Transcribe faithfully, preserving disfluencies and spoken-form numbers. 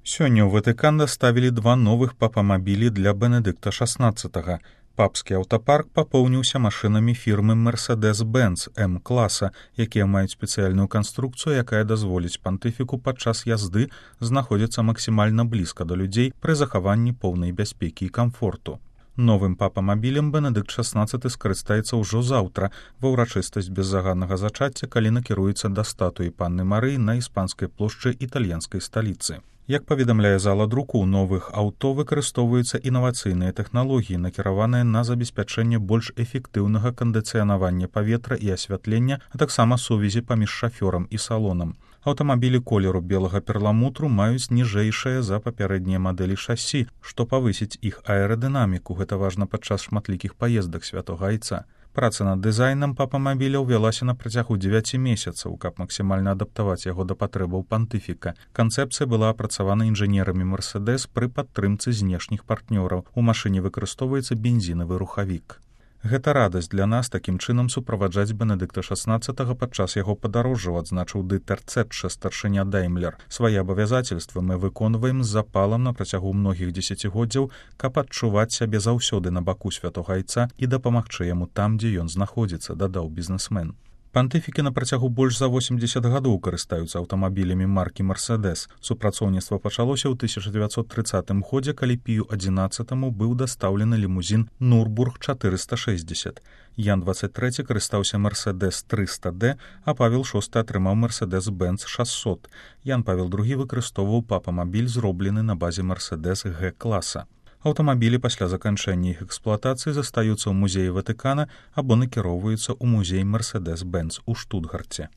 Сёння ў Ватыкан даставілі два новых папамабілі для Бенедыкта шаснаццатага. Папскі аўтапарк папоўніўся машынамі фірмы Мерседес-Бенц М-класа, якія маюць спецыяльную канструкцыю, якая дазволіць пантыфіку падчас язды знаходзіцца максімальна блізка да людзей пры захаванні поўнай бяспекі і камфорту. Новым папамабілем Бенедыкт шаснаццаты скарыстаецца ўжо заўтра ва ўрачыстасць беззаганнага зачацця, калі накіруецца да статуі панны Марыі на іспанскай плошчы італьянскай сталіцы. Як паведамляе зала друку, у новых аўто выкарыстоўваюцца інавацыйныя тэхналогіі, накіраваныя на забеспячэнне больш эфектыўнага кандыцыянавання паветра і асвятлення, а таксама сувязі паміж шафёрам і салонам. Аўтамабілі колеру белага перламутру маюць ніжэйшае за папярэднія мадэлі шасі, што павысіць іх аэрадынаміку, гэта важна падчас шматлікіх паездак святога айца. Праца над дызайнам папамабіля ўвялася на працягу дзевяці месяцаў, каб максімальна адаптаваць яго да патрэбаў пантыфіка. Канцэпцыя была апрацавана інжынерамі Мерседес пры падтрымцы знешніх партнёраў. У машыне выкарыстоўваецца бензінавы рухавік. Гэта радасць для нас такім чынам суправаджаць Бенедыкта шаснаццатага падчас яго падарожжаў, адзначыў Дытер Цэтшэ, старшыня Даймлер. Свае абавязацельствы мы выконваем з запалам на працягу многіх дзесяцігоддзяў, каб адчуваць сябе заўсёды на баку святога айца і дапамагчы яму там, дзе ён знаходзіцца, дадаў бізнесмен. Пантыфікі на працягу больш за восемдзесят гадоў карыстаюцца аўтамабілямі маркі Мерседес. Супрацоўніцтва пачалося ў тысяча дзевяцьсот трыццатым годзе, калі Пію адзінаццатаму быў дастаўлены лімузін Нурбург чатырыста шэсцьдзесят. Ян дваццаць трэці карыстаўся Мерседес трыста дэ, а Павел шосты атрымаў Мерседес-Бенц шасцьсот. Ян Павел другі выкарыстоўваў папамабіль, зроблены на базе Мерседес Г-класа. Аўтамабілі пасля заканчэння іх эксплуатацыі застаюцца ў музеі Ватыкана або накіроўваюцца ў музей Мерседес-Бенц у Штутгарце.